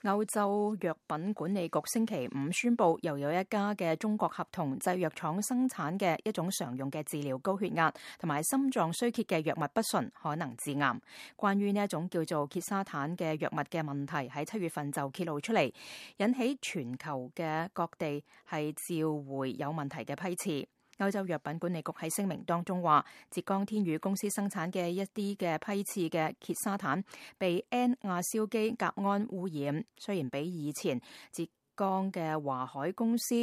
歐洲藥品管理局星期五宣布，又有一家嘅中國合同製藥廠生產嘅一種常用嘅治療高血壓同埋心臟衰竭嘅藥物不純，可能致癌。關於呢一種叫做牒沙坦嘅藥物嘅問題，喺7月份就揭露出嚟，引起全球嘅各地係召回有問題嘅批次。歐洲藥品管理局喺聲明當中話，浙江天宇公司生產嘅一啲嘅批次嘅牒沙坦被 N 亞硝基甲胺污染，雖然比以前浙江嘅華海公司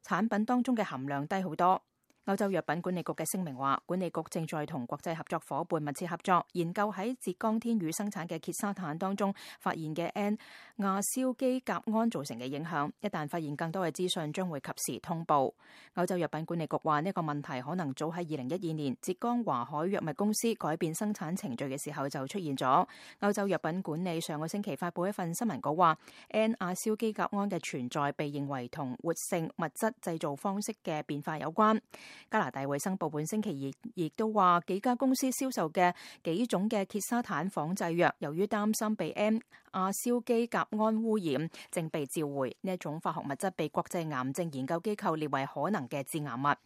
產品當中嘅含量低好多。歐洲藥品管理局嘅聲明話，管理局正在同國際合作伙伴密切合作，研究喺浙江天宇生產嘅牒沙坦當中發現嘅 N 亞硝基甲胺造成嘅影響。一旦發現更多嘅資訊，將會及時通報。歐洲藥品管理局話，呢個問題可能早喺2012年浙江華海藥物公司改變生產程序嘅時候就出現咗。歐洲藥品管理上個星期發布一份新聞稿話， N 亞硝基甲胺嘅存在被認為同活性物質製造方式嘅變化有關。加拿大衛生部本星期亦都話，幾家公司銷售嘅幾種嘅牒沙坦仿製藥，由於擔心被 N 亞硝基甲胺污染，正被召回。呢一種化學物質被國際癌症研究機構列為可能嘅致癌物。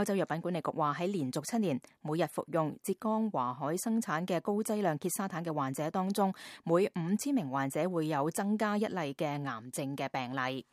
歐洲藥品管理局話，喺連續7年每日服用浙江華海生產嘅高劑量牒沙坦嘅患者當中，每5000名患者會有增加一例嘅癌症嘅病例。